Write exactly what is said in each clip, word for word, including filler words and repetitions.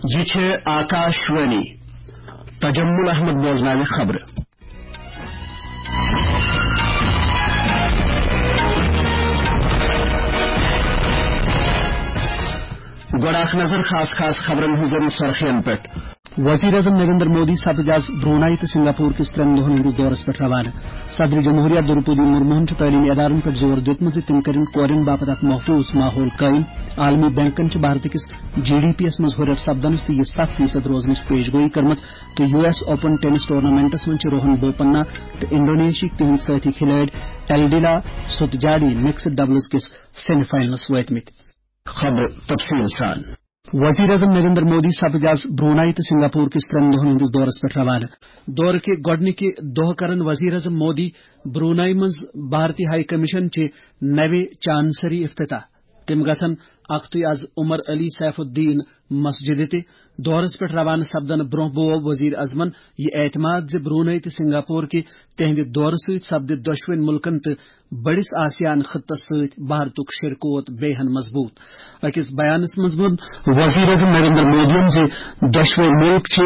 یہِ چھِ آکاشوانی۔ تجمل احمد بوزناوِ خبرٕ۔ گۄڈٕ اکھ نظر خاص خاص خبرن ہٕنٛزن سرخین پٮ۪ٹھ۔ وزیر اعظم نریندر مودی سپٕدۍ آز برونائی تہٕ سنگاپور کِس ترٛٮ۪ن دۄہن ہٕنٛدِس دورس پٮ۪ٹھ روانہٕ۔ صدر جمہوریہ دروپدی مرموہن چھُ تعلیمی ادارن پٮ۪ٹھ زور دیُتمُت زِ تِم کٔرِن کورٮ۪ن باپتھ اکھ محفوظ ماحول قٲیِم۔ عالمی بینکن چھِ بھارتہٕ کِس جی ڈی پی یَس منٛز ہُرٮ۪ر سپدنس تہٕ یہِ ستھ فیصد روزنٕچ پیش گویی کٔرمٕژ تہٕ U S open tennis tournaments منٛز چھِ روہن بوپننا تہٕ انڈونیشیاہٕکۍ تِہنٛدۍ سٲتھی کھلٲڑۍ ایلڈیلا ستجاڈی مکسڈ ڈبلز کِس سیمی فاینلس وٲتمٕتۍ۔ خبرٕ تفصیٖل سان۔ وزیر اعظم نریندر مودی سپٕدۍ آز برونائی تہٕ سنگاپور کِس ترٛٮ۪ن دۄہن ہٕنٛدِس دورس پٮ۪ٹھ روانہٕ۔ دورٕ کہِ گۄڈٕنِکہِ دۄہ کرن وزیر اعظم مودی برونائی منٛز بھارتی ہائی کمیشن چہِ نوِ چانسری افتتاح۔ تِم گژھن اکھتُے از عمر علی سیف الدین مسجدِ تہِ۔ دورس پٮ۪ٹھ روانہٕ سپدنہٕ برونٛہہ بوو وزیر اعظمن یہِ اعتماد زِ برونائی تہٕ سنگاپور کہِ تِہنٛدِ دورٕ سۭتۍ سپدِ دۄشوٕنۍ مُلکن تہٕ بٔڑِس آسیان خطس سۭتۍ بھارتُک شِرکوت بیٚیہِ ہن مضبوٗط۔ أکِس بیانس منٛز ووٚن وزیر اعظم نریندر مودیَن زِ دۄشوے مُلک چھِ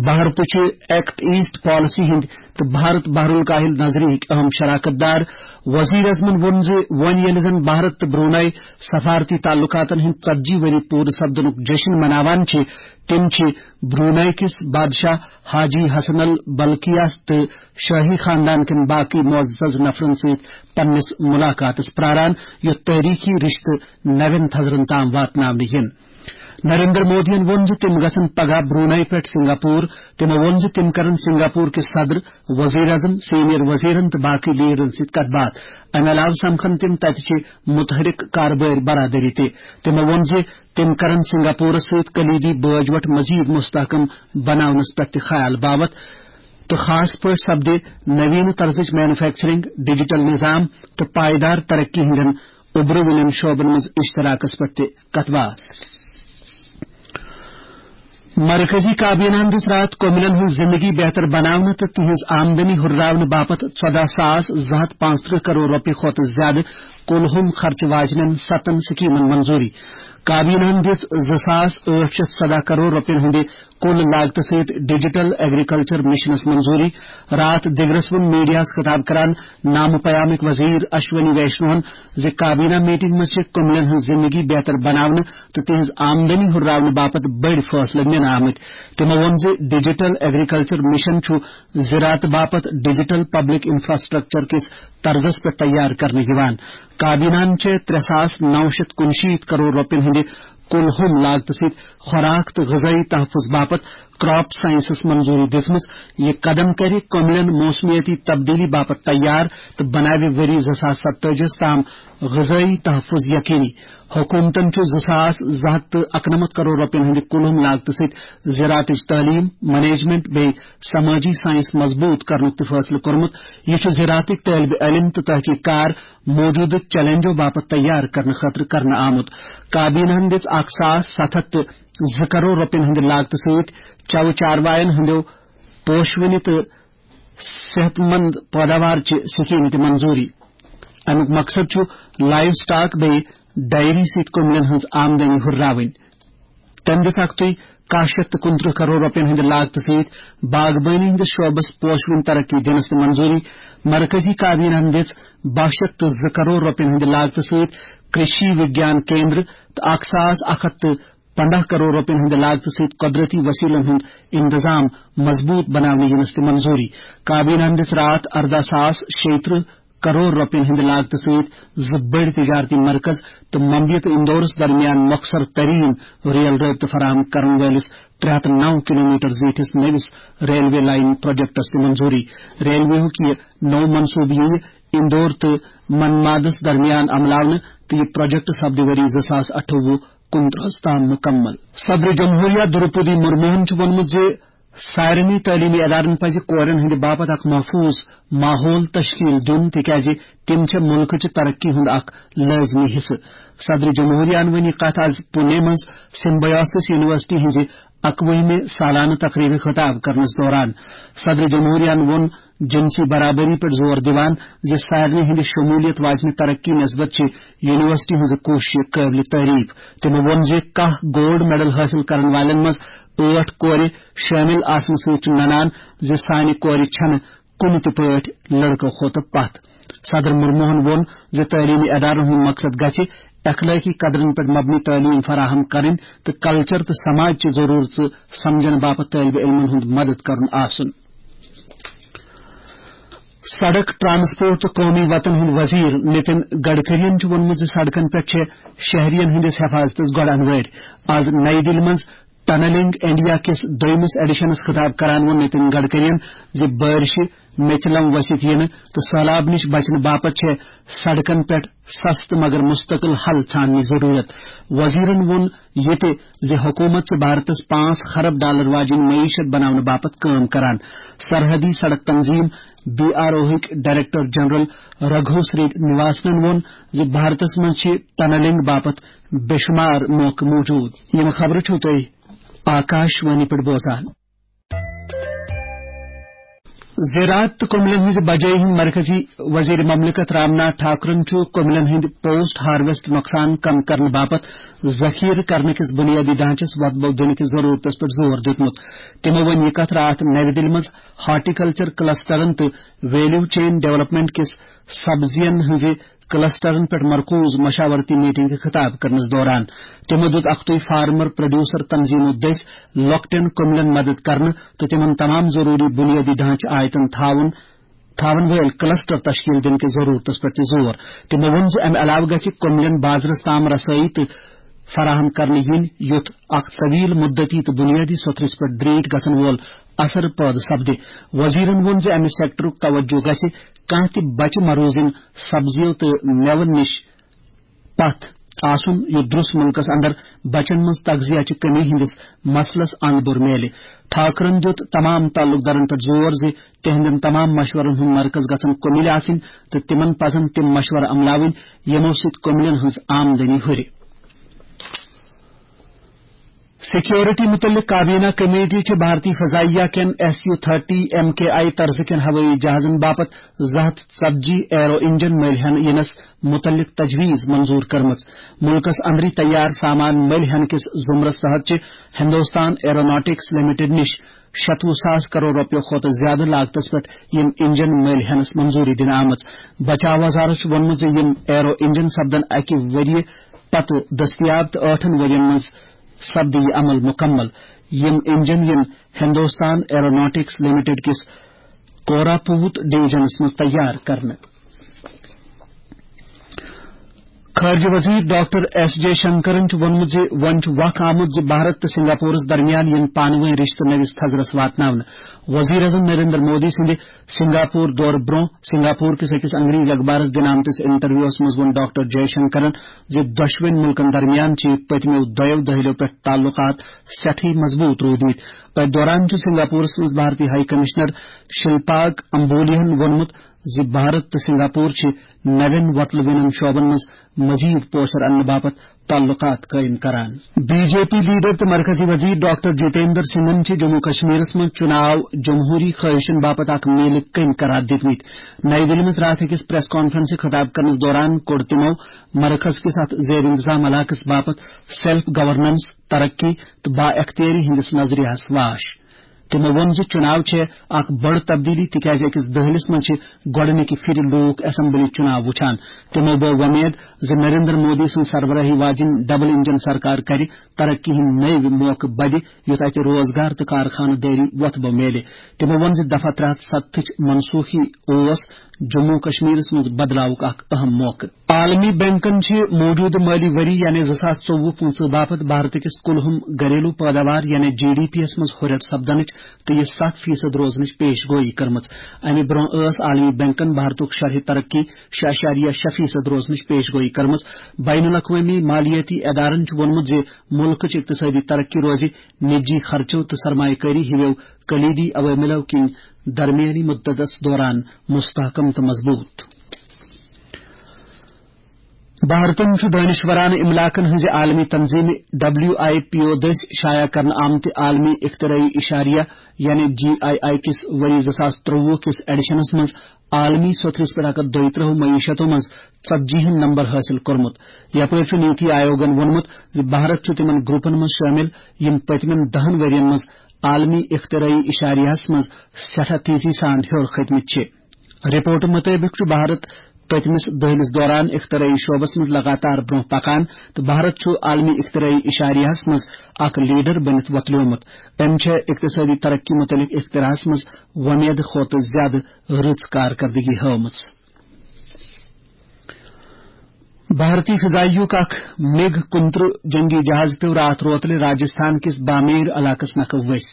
بھارتٕچہِ ایکٹ ایسٹ پالیسی ہٕنٛدۍ تہٕ بھارت بحر الکاہل نظریہٕکۍ اہم شراکت دار۔ وزیر اعظمن ووٚن زِ وۄنۍ ییٚلہِ زن بھارت تہٕ برونائی سفارتی تعلقاتن ہٕنٛدۍ ژتجی ؤری پوٗرٕ سپدنُک جشن مناوان چھِ، تِم چھِ برونائی کِس بادشاہ حاجی حسن البلقیہ تہٕ شٲہی خاندان کٮ۪ن باقٕے معزز نفرن سۭتۍ پننِس ملاقاتس پراران، یُتھ تٲریخی رشتہٕ نوٮ۪ن تھزرن تام واتناونہٕ یِن۔ نریندر مودیَن ووٚن زِ تِم گژھن پگاہ برونائی پٮ۪ٹھ سنگاپور۔ تِمو ووٚن زِ تِم کرن سنگاپور کِس صدر، وزیر اعظم، سینئر وزیرن تہٕ باقٕے لیڈرن سۭتۍ کتھ باتھ۔ امہِ علاوٕ سمکھن تِم تتہِ چہِ متحرک کاربٲرۍ برادری تہِ۔ تِمو ووٚن زِ تِم کرن سنگاپورس سۭتۍ کلیدی بٲجوٹ مزید مستحکم بناونس پٮ۪ٹھ تہِ خیال باوتھ تہٕ خاص پٲٹھۍ سپدِ نوینہٕ طرزٕچ مینوفیکچرنگ، ڈیجیٹل نظام تہٕ پائیدار ترقی ہٕنٛدٮ۪ن اُبرٕ وٕنٮ۪ن شعبن منٛز اشتراکس پٮ۪ٹھ تہِ کتھ باتھ۔ مرکزی کابینہن دِژ راتھ کٔمِلین ہٕنٛز زندگی بہتر بناونہٕ تہٕ تِہنٛز آمدنی ہُرراونہٕ باپتھ ژۄدہ ساس زٕ ہتھ پانٛژترٕہ کرور رۄپیہِ کھۄتہٕ زیادٕ کُل ہُم خرچہٕ واجنٮ۪ن ستن سکیمن منظوٗری۔ کابینہن دِژ زٕ ساس ٲٹھ شیٚتھ ژۄدہ کرور رۄپین ہٕنٛدِ کُل لاگتہٕ سۭتۍ ڈیجیٹل ایگریکلچر مشنس منظوٗری۔ راتھ دِگرس ووٚن میڈیاہس خطاب کران نامہٕ پیامٕکۍ وزیر اشونی ویشنوہن زِ کابینہ میٹنگ منٛز چھِ کٔمِلین ہٕنٛز زندگی بہتر بناونہٕ تہٕ تِہنٛز آمدنی ہُرراونہٕ باپتھ بٔڑۍ فٲصلہٕ نِنہٕ آمٕتۍ۔ تِمو ووٚن زِ ڈیجیٹل ایگریکلچر مشن چھُ زراعت باپتھ ڈیجیٹل پبلک انفراسٹرکچر کِس طرزس پٮ۪ٹھ تیار کرنہٕ یِوان۔ کابینہن چھِ ترٛےٚ ساس نو شیٚتھ کُنشیٖتھ کرور رۄپین ہٕنٛدِ کُل ہُم لاگتہٕ سۭتۍ خوراک تہٕ غذٲیی تحفظ باپتھ کراپ سائنسس منظوٗری دِژمٕژ۔ یہِ قدم کرِ کٔمِلین موسمیٲتی تبدیلی باپتھ تیار تہٕ بناوِ ؤری زٕ ساس ستٲجی ہس تام غذٲیی تحفظ یقینی۔ حکومتن چھُ زٕ ساس زٕ ہتھ تہٕ اَکنَمَتھ کرور رۄپین ہٕنٛدِ کُل ہُم لاگتہٕ سۭتۍ زراعتٕچ تعلیٖم، مینجمنٹ بیٚیہِ سمٲجی سائنس مضبوٗط کرنُک تہِ فٲصلہٕ کوٚرمُت۔ یہِ چھُ زراعتٕکۍ طٲلبہِ علم تہٕ تحقیق کار موجودٕ چیلنجو باپتھ تیار کرنہٕ خٲطرٕ کرنہٕ آمُت۔ کابینہن دِژ اکھ ساس ستھ ہتھ تہٕ زٕ کرور رۄپین ہٕنٛدِ لاگتہٕ سۭتۍ چَوٕ چاروایَن ہٕنٛدیو پوشوٕنہِ تہٕ صحت مند پٲداوار چہِ سکیمہِ تہِ منظوٗری۔ اَمیُک مقصد چھُ لائیو سٹاک بیٚیہِ ڈائری سۭتۍ کٔمِلین ہٕنٛز آمدنی ہُرراوٕنۍ۔ تٔمۍ دِژ اکھتُے کاہ شیٚتھ تہٕ کُنترٕہ کرور رۄپین ہٕنٛدِ لاگتہٕ سۭتۍ باغبٲنی ہٕنٛدِس شعبس پوشوٕنۍ ترقی دِنس تہِ منظوٗری۔ مرکزی کابینہن دِژ باہ شیٚتھ تہٕ زٕ کرور رۄپین ہٕنٛدِ لاگتہٕ سۭتۍ کرشی وگیان کیندر تہٕ اکھ ساس اکھ ہتھ تہٕ پنداہ کرور رۄپین ہٕنٛدِ لاگتہٕ سۭتۍ قۄدرتی وسیلن ہُنٛد انتظام مضبوٗط بناونہٕ یِنس تہِ منظوٗری۔ کابینہن دِژ راتھ ارداہ ساس شیٚیہِ ترٕہ کرور رۄپین ہٕنٛدِ لاگتہٕ سۭتۍ زٕ بٔڑۍ تجارتی مرکز تہٕ ممبیہِ تہٕ اندورس درمیان مۄخصر ترین ریل رٲبطہٕ فراہم کرن وٲلِس ترٛےٚ ہتھ نو کلومیٹر زیٖٹھِس نٔوِس ریلوے لائن پروجیکٹس تہِ منظوٗری۔ ریلوے ہُک یہِ نوٚو منصوبہٕ یِیہِ اندور تہٕ منمادس درمیان عملاونہٕ تہٕ یہِ پروجیکٹ سپدِ ؤری زٕ ساس اَٹھووُہ کُنترٕہس تام مُکمل۔ صدر جمہوریہ دروپدی مرموہن چھُ ووٚنمُت زِ سارنٕے تعلیمی ادارن پزِ کورٮ۪ن ہٕنٛدِ باپتھ اکھ محفوظ ماحول تشکیل دیُن، تِکیازِ تِم چھِ مُلکٕچہِ ترقی ہُنٛد اکھ لٲزمی حصہٕ۔ صدر جمہوریہن ووٚن یہِ کتھ از پونے منٛز سمبیوسس یونیورسٹی ہٕنٛزِ اَکوُہمہِ سالانہٕ تقریبہِ خطاب کرنس دوران۔ صدر جمہوریہن ووٚن جنسی برابری پٮ۪ٹھ زور دِوان زِ سارنٕے ہٕنٛدِ شموٗلیت واجنہِ ترقی نسبت چھِ یونیورسٹی ہٕنٛز کوٗشش قٲبلِ تعریف۔ تِمو ووٚن زِ کاہ گولڈ میڈل حٲصِل کرن والٮ۪ن منٛز ٲٹھ کورِ شٲمِل آسنہٕ سۭتۍ چھُ ننان زِ سانہِ کورِ چھَنہٕ کُنہِ تہِ پٲٹھۍ لڑکو کھۄتہٕ پتھ۔ صدر مرموہن ووٚن زِ تعلیمی ادارن ہُنٛد مقصد گژھِ اخلٲقی قدرن پٮ۪ٹھ مبنی تعلیٖم فراہم کرٕنۍ تہٕ کلچر تہٕ سماج چہِ ضروٗرژٕ سمجھن باپتھ طٲلبہِ علمن ہُنٛد مدد کرُن آسُن۔ سڑک، ٹرانسپورٹ تہٕ قومی وتن ہٕنٛدۍ وزیر نتن گڈکرین چھُ ووٚنمُت زِ سڑکن پٮ۪ٹھ چھِ شہرین ہٕنٛدِس حفاظتس گۄڈٕ انوٲرۍ۔ آز نئی دِلہِ منٛز ٹنلنگ انڈیا کِس دوٚیمِس ایڈیشنس خطاب کران ووٚن نتن گڈکرین زِ بارشہِ میٚژِ لم ؤسِتھ یِنہٕ تہٕ سٔہلاب نِش بچنہٕ باپتھ چھےٚ سڑکن پٮ۪ٹھ سستہٕ مگر مستقل حل ژھانڈنٕچ ضروٗرت۔ وزیرن ووٚن یہِ تہِ زِ حکوٗمت چھِ بھارتس پانٛژھ خرب ڈالر واجیٚنۍ معیشت بناونہٕ باپتھ کٲم کران۔ سرحدی سڑک تنظیم بی آر اوہٕکۍ ڈائریکٹر جنرل رگھو سری نواسنن ووٚن زِ بھارتس منٛز چھِ ٹنلنگ باپتھ بے شمار موقعہٕ موجود۔ یِم خبرٕ چھِو تُہۍ آکاش وانی پٮ۪ٹھ بوزان۔ زراعت تہٕ کۄملن ہٕنٛزِ بجٲیی ہٕنٛدۍ مرکزی وزیر مملکت رام ناتھ ٹھاکرن چھُ کۄملن ہٕنٛدۍ پوسٹ ہارویسٹ نۄقصان کم کرنہٕ باپتھ ذخیرٕ کرنہٕ کِس بنیٲدی ڈھانچس وۄتھ بو دِنہٕ کِس ضروٗرتس پٮ۪ٹھ زور دیُتمُت۔ تِمو ووٚن یہِ کتھ راتھ نوِ دِلہِ منٛز ہارٹیکلچر کلسٹرن تہٕ ویلیو چین ڈیولپمنٹ کِس سبزین ہٕنٛزِ کلسٹرن پٮ۪ٹھ مرکوز مشاورتی میٹنگ خطاب کرنس دوران۔ تِمو دیُت اکھتُے فارمر پروڈیوسر تنظیمو دٔسۍ لۄکٹٮ۪ن کۄملٮ۪ن مدد کرنہٕ تہٕ تِمن تمام ضروٗری بُنیٲدی ڈھانچہٕ آیتن تھاوُن، تھاوَن وٲلۍ کلسٹر تشکیل دِنہٕ کِس ضروٗرتس پٮ۪ٹھ تہِ زور۔ تِمو ووٚن زِ امہِ علاوٕ گژھِ کۄملٮ۪ن بازرس تام رسٲیی تہٕ فراہم کرنہٕ یِنۍ، یُتھ اکھ طویل مدتی تہٕ بُنیٲدی سوٚتھرِس پٮ۪ٹھ دریٖٹھ گژھن وول اثر پٲدٕ سپدِ۔ وزیرن ووٚن زِ امہِ سیکٹرُک توجہ گژھِ کانٛہہ تہِ بچہِ مروزِن سبزیو تہٕ مٮ۪وَن نِش پتھ آسُن، یُتھ درست مُلکس اندر بچن منٛز تغذیہ چہِ کمی ہٕنٛدِس مسلس اند بُر میلہِ۔ ٹھاکرن دیُت تمام تعلقدارن پٮ۪ٹھ زور زِ تِہنٛدٮ۪ن تمام مشورن ہُنٛد مرکز گژھن کُمِلۍ آسٕنۍ تہٕ تِمن پزن تِم مشورٕ عملاوٕنۍ، یِمو سۭتۍ کُمِلٮ۪ن ہٕنٛز آمدنی ہُرِ۔ سیکیورٹی متعلق کابینہ کمیٹی چھِ بھارتی فضائیہ کٮ۪ن S U thirty M K I طرزٕ کٮ۪ن ہوٲیی جہازن باپتھ زٕ ہتھ ژتجی ایرو انجن مٔلۍ ہٮ۪نہٕ یِنس متعلق تجویز منظور کٔرمٕژ۔ ملکس اندری تیار سامان مٔلۍ ہٮ۪نہٕ کِس زمرس تحت چھِ ہندوستان ایروناٹکس لمیٹڈ نِش شتوُہ ساس کرور رۄپیو کھۄتہٕ زیادٕ لاگتس پٮ۪ٹھ یِم انجن مٔلۍ ہٮ۪نس منظوری دِنہٕ آمٕژ۔ بچاو وزارت چھُ ووٚنمُت زِ یِم ایرو انجن سپدن اکہِ ؤریہِ پتہٕ دٔستیاب تہٕ ٲٹھن ؤرین منٛز سپدِ یہِ عمل مُکمل۔ یِم انجن یِن ہندوستان ایروناٹکس لمیٹڈ کِس کوراپوت ڈویژنس منٛز تیار کرنہٕ۔ خارجہ وزیر ڈاکٹر ایس جے شنکرن چھُ ووٚنمُت زِ وۄنۍ چھُ وق آمُت زِ بھارت تہٕ سنگاپورس درمیان یِن پانہٕ وٲنۍ رشتہٕ نٔوِس تھزرس واتناونہٕ۔ وزیر اعظم نریندر مودی سٕنٛدِ سنگاپور دورٕ برونٛہہ سنگاپور کِس أکِس انگریزی اخبارس دِنہٕ آمتِس انٹرویوس منٛز ووٚن ڈاکٹر جے شنکرن زِ دۄشوٕنۍ مُلکن درمیان چھِ پٔتمیو دۄیو دٔہلِیو پٮ۪ٹھ تعلقات سٮ۪ٹھٕے مضبوٗط روٗدمٕتۍ۔ أتھۍ دوران چھُ سنگاپورس منٛز بھارتی ہائی کمشنر شلپاگ امبولیہن ووٚنمُت زِ بھارت تہٕ سنگاپور چھِ نوٮ۪ن وۄتلہٕ وِنَن شعبن منٛز مزید پوسر اننہٕ باپتھ تعلقات قٲیِم کران۔ بی جے پی لیڈر تہٕ مرکزی وزیر ڈاکٹر جتیندر سنگھن چھِ جموں کشمیرس منٛز چُناو جمہوری خٲہشن باپتھ اکھ میلہِ کٔمۍ قرار دِتمٕتۍ۔ نئی دِلہِ منٛز راتھ أکِس پریس کانفرنسہِ خطاب کرنس دوران کوٚر تِمو مرکز کِس اتھ زیر انتظام علاقس باپتھ سیلف گورننس، ترقی تہٕ با اختیٲری ہٕنٛدِس نظریہس واش۔ تِمو ووٚن زِ چُناو چھےٚ اکھ بٔڑ تبدیلی، تِکیازِ أکِس دٔہلِس منٛز چھِ گۄڈٕنِکہِ پھِرِ لوٗکھ اسمبلی چُناو وُچھان۔ تِمو بٲو وۄمید زِ نریندر مودی سٕنٛز سربراہی واجیٚنۍ ڈبل انجن سرکار کرِ ترقی ہٕنٛدۍ نٔوۍ موقعہٕ بدِ، یُتھ اتہِ روزگار تہٕ کارخانہٕ دٲری وۄتھٕ بو میلہِ۔ تِمو ووٚن زِ دفعہ ترٛےٚ ہتھ ستتھٕچ منسوخی اوس جموں کشمیرس منٛز بدلاوُک اکھ اہم موقعہٕ۔ عالمی بینکن چھِ موجودٕ مٲلی ؤری یعنی زٕ ساس ژوٚوُہ پٕنٛژٕہ باپتھ بھارت کِس کُلہُم گھریلو پٲداوار یعنی جی ڈی پی یَس منٛز ہُرٮ۪ر سپدنٕچ تہٕ یہِ ستھ فیصد روزنٕچ پیش گویی کٔرمٕژ۔ اَمہِ برٛونٛہہ ٲس عالمی بینکن بھارتُک شرح ترقی شےٚ اعشاریہ شےٚ فیصد روزنٕچ پیش گویی کٔرمٕژ۔ بین الاقوٲمی مالیٲتی ادارن چھُ ووٚنمُت زِ مُلکٕچ اقتصٲدی ترقی روزِ نجی خرچو تہٕ سرمایہ کٲری ہِوٮ۪و کلیدی عواملو کِنۍ درمیٲنی مدتس دوران مستحکم تہٕ مضبوٗط۔ بھارتن چھُ دانشورانہٕ املاکن ہٕنٛزِ عالمی تنظیٖمہِ ڈبلیو آئی پی او دٔسۍ شایع کرنہٕ آمتہِ عالمی اختراعی اشاریہ، یعنی جی آئی آئی کِس ؤری زٕ ساس ترٛۆوُہ کِس ایڈیشنس منٛز عالمی سوٚتھرِس پٮ۪ٹھ اکھ ہتھ دۄیہِ ترٛہ معیشتو منٛز ژتجی ہن نمبر حٲصِل کوٚرمُت۔ یپٲرۍ چھُ نیتی آیوگن ووٚنمُت زِ بھارت چھُ تِمن گروپن منٛز شٲمِل، یِم پٔتمٮ۪ن دہن ؤرین منٛز عالمی اختراعی اشاریہس منٛز سٮ۪ٹھاہ تیزی سان ہیوٚر کھٔتمٕتۍ چھِ۔ رپورٹہٕ مُطٲبِق چھُ بھارت پٔتمِس دٔہلِس دوران اختراعی شعبس منٛز لگاتار برونٛہہ پکان، تہٕ بھارت چھُ عالمی اختراعی اشاریہس منٛز اکھ لیڈر بٔنِتھ وۄتلیومُت۔ أمۍ چھےٚ اقتصٲدی ترقی مُتعلق اختراعس منٛز وۄمید کھۄتہٕ زیادٕ رٕژ کارکردگی ہٲومٕژ۔ بھارتی فضائیہُک اکھ مِگ کُنترٕہ جنگی جہاز پیوٚو راتھ روتلہِ راجستھان کِس بامیر علاقس نکھٕ ؤسۍ۔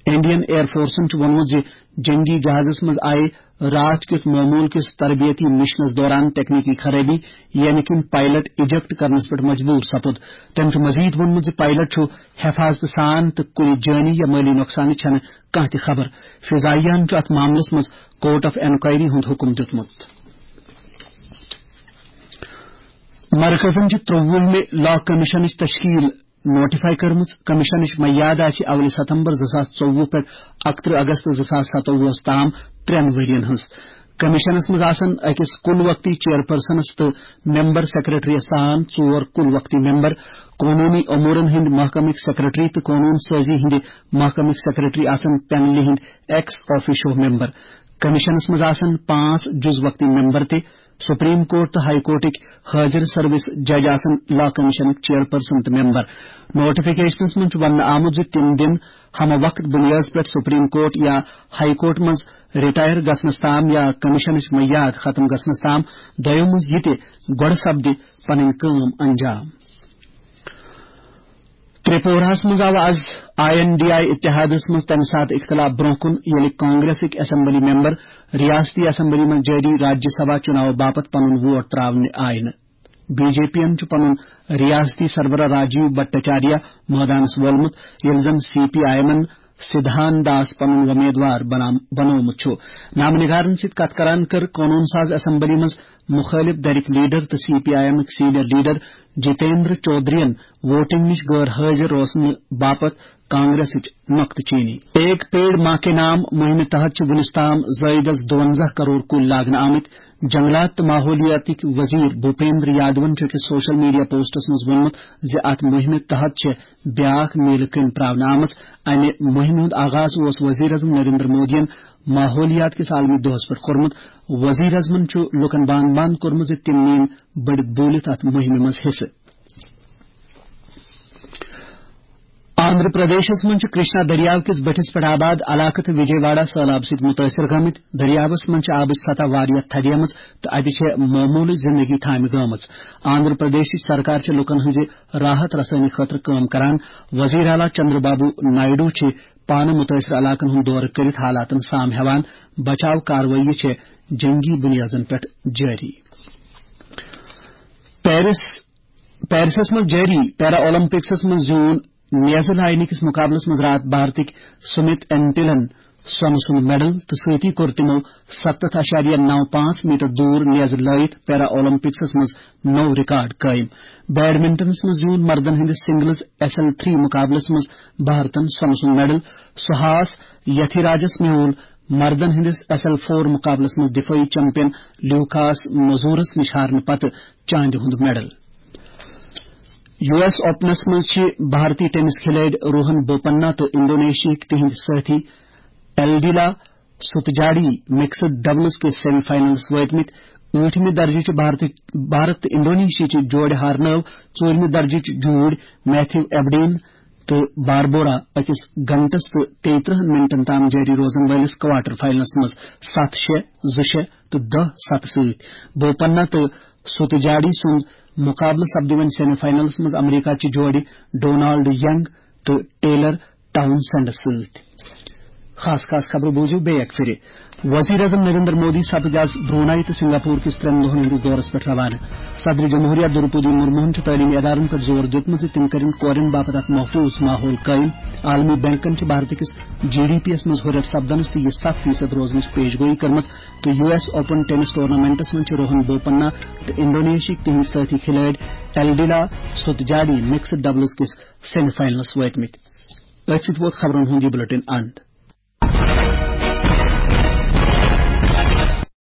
انڈین ایئر فورسن چھُ ووٚنمُت زِ جنگی جہازس منٛز آیہِ راتھ کیُتھ معمول کِس تربیتی مشنس دوران تکنیکی خرٲبی، ییٚمہِ کِنۍ پائلٹ اجیکٹ کرنس پٮ۪ٹھ مجبوٗر سپُد۔ تٔمۍ چھُ مزید ووٚنمُت زِ پائلٹ چھُ حفاظتہٕ سان تہٕ کُنہِ جٲنی یا مٲلی نۄقصانٕچ چھنہٕ کانٛہہ تہِ خبر۔ فضائیہن چھُ اتھ معاملس منٛز کورٹ آف انکوائری ہُنٛد حکم دیُتمُت۔ مرکزن چھِ ترٛۆوُہمہِ لا کمیشنٕچ تشکیل نوٹیفائی کٔرمٕژ۔ کمیشنٕچ میعاد آسہِ اولہِ ستمبر زٕ ساس ژوٚوُہ پٮ۪ٹھ اکترٕہ اگست زٕ ساس ستووُہس تام ترٛٮ۪ن ؤرین ہٕنٛز۔ کمیشنس منٛز آسن أکِس کُل وقتی چیئرپرسنس تہٕ ممبر سیکرٹریس سان ژور کُل وقتی ممبر، قونوٗنی امورن ہٕنٛدۍ محکمٕکۍ سیکرٹری تہٕ قونوٗن سٲزی ہٕنٛدِ محکمٕکۍ سیکرٹری آسن پینلہِ ہٕنٛدۍ ایکس آفیشو ممبر۔ کمیشنس منٛز آسن پانٛژھ جُز وقتی ممبر تہِ۔ سپریم کورٹ تہٕ ہائی کورٹٕکۍ حٲضِر سروس جج آسن لا کمیشنٕکۍ چیئرپرسن تہٕ ممبر۔ نوٹیفکیشنس منٛز چھُ وننہٕ آمُت زِ تِم دِن ہمہ وقت بنیادس پٮ۪ٹھ سپریم کورٹ یا ہائی کورٹ منٛز رٹائر گژھنس تام یا کمیشنٕچ میعاد ختم گژھنس تام دۄیو منٛز یہِ تہِ گۄڈٕ سپدِ پنٕنۍ کٲم انجام۔ ترٛیپوراہس منٛز آو از آئی این ڈی آئی اتحادس منٛز تمہِ ساتہٕ اختلاف برونٛہہ کُن، ییٚلہِ کانگریسٕکۍ اسمبلی ممبر ریاستی اسمبلی منٛز جٲری راجیہ سبھا چُناو باپتھ پنُن ووٹ ترٛاونہِ آیہِ نہٕ۔ بی جے پی ین چھُ پنُن ریاستی سربراہ راجیو بھٹاچاریہ مٲدانس وولمُت، ییٚلہِ زن سی پی آئی ایمن سدھان داس پنُن وۄمیدوار بنام-، بنوومُت چھُ۔ نامہ نگارن سۭتۍ کتھ کران کٔر قونوٗن ساز اسمبلی منٛز مُخٲلِف دھرِکۍ لیڈر تہٕ سی پی آئی ایمٕکۍ سینئر لیڈر جتیندر چودھرین ووٹنگ نِش غٲر حٲضِر روزنہٕ باپتھ کانگریسٕچ نۄقطہٕ چینی۔ ایک پیڑ ماں کے نام مُہِمہِ تحت چھِ وُنِس تام زٲیدس دُوَنزاہ کرور کُلۍ لاگنہٕ آمٕتۍ۔ جنگلات تہٕ ماحولیاتٕکۍ وزیر بھوپیندر یادون چھُ أکِس سوشل میڈیا پوسٹس منٛز ووٚنمُت زِ اتھ مُہِمہِ تحت چھِ بیاکھ میلہٕ کٔمۍ پراونہٕ آمٕژ۔ امہِ مُہِمہِ ہُنٛد آغاز اوس وزیر اعظم نریندر مودیَن ماحولیات کِس عالمی دۄہس پٮ۪ٹھ کوٚرمُت۔ وزیر اعظمن چھُ لوٗکن بانہٕ بانہٕ کوٚرمُت زِ تِم نِن بٔڑِتھ بوٗلِتھ اتھ مُہِمہِ منٛز حصہٕ۔ آندھرا پردیشس منٛز چھِ کرشنا دٔریاو کِس بٔٹھِس پٮ۪ٹھ آباد علاقہٕ تہٕ وجے واڑہ سٔہلاب سۭتۍ مُتٲثِر گٔمٕتۍ۔ دٔریاوس منٛز چھِ آبٕچ سطح واریاہ تھدیمٕژ تہٕ اَتہِ چھےٚ معموٗلٕچ زِندگی تھامہِ گٲمٕژ۔ آندھرا پردیشٕچ سرکار چھِ لُکن ہٕنٛزِ راحت رسٲنی خٲطرٕ کٲم کران۔ وزیر اعلیٰ چندر بابو نائیڈو چھِ پانہٕ مُتٲثِر علاقن ہُنٛد دورٕ کٔرِتھ حالاتن سام ہٮ۪وان۔ بچاو کاروٲیی چھےٚ جنگی بُنیادن پٮ۪ٹھ جٲری۔ پیرس، پیرسس منٛز جٲری پیرا اولمپکسس منٛز زیوٗن نیزٕ لاینہٕ کِس مُقابلس منٛز راتھ بھارتٕکۍ سُمِت انٹلن سۄنہٕ سُنٛد میڈل تہٕ سۭتی کوٚر تِمو ستتھ اعشاریہ نو پانٛژھ میٹر دوٗر نیزٕ لٲیِتھ پیرا اولمپکسس منٛز نوٚو ریکارڈ قٲیِم۔ بیڈمنٹنس منٛز زیوٗن مردن ہٕنٛدِس سنگلز ایس ایل تھری مُقابلس منٛز بھارتن سۄنہٕ سُنٛد میڈل۔ سہاس یتھیراجس میوٗل مردن ہٕنٛدِس ایس ایل فور مُقابلس منٛز دِفٲعی چیمپین لیوکاس مزورس نِش ہارنہٕ پتہٕ چاندِ ہُنٛد میڈل۔ یو ایس اوپنس منٛز چھِ بھارتی ٹینس کھلٲڑۍ روہن بوپننا تہٕ انڈونیشیاہٕکۍ تِہنٛدۍ سٲتھی ایلڈیلا ستجاڑی مکسڈ ڈبلز کِس سیمی فائنلس وٲتمٕتۍ۔ ٲٹھمہِ درجٕچہِ بھارتٕچ، بھارت تہٕ انڈونیشیاہٕچہِ جوڑِ ہارنٲو ژوٗرمہِ درجٕچ جوٗرۍ میتھیو ایبڈین تہٕ باربورا أکِس گھنٹس تہٕ تیٚیہِ ترٕٛہن منٹن تام جٲری روزن وٲلِس کوارٹر فائنلس منٛز ستھ شےٚ، زٕ شےٚ تہٕ دَہ ستھ سۭتۍ۔ بوپننا تہٕ ستجاڑی سُنٛد مُقابلہٕ سپدِ وۄنۍ سیمی فائنلس منٛز امریکہ چہِ جوڑِ ڈونالڈ ینگ تہٕ ٹیلر ٹاؤنسینڈس سۭتۍ۔ خاص خاص خبرٕ بوٗزِو بیٚیہِ اکہِ پھِرِ۔ وزیر اعظم نریندر مودی سپٕدۍ آز برونائی تہٕ سنگاپور کِس ترٛٮ۪ن دۄہن ہٕنٛدِس دورس پٮ۪ٹھ روانہٕ۔ صدر جمہوریہ درپدی مرموہن چھُ تعلیمی ادارن پٮ۪ٹھ زور دیُتمُت زِ تِم کٔرِن کورٮ۪ن باپتھ اکھ محفوظ ماحول قٲیِم۔ عالمی بینکن چھِ بھارتہٕ کِس جی ڈی پی یس منٛز ہُرٮ۪ر سپدنس تہٕ یہِ ستھ فیصد روزنٕچ پیش گوئی کٔرمٕژ تہٕ U S open tennis tournaments منٛز چھِ روہن بوپننا تہٕ انڈونیشیاہٕکۍ تِہنٛدۍ سٲتھی کھلٲڑۍ ایلڈیلا سوتجاڈی مکسڈ ڈبلز کِس سیمی فائنلس وٲتمٕتۍ۔ أتھۍ سۭتۍ ووت خبرن ہُنٛد یہِ بُلٹن اند۔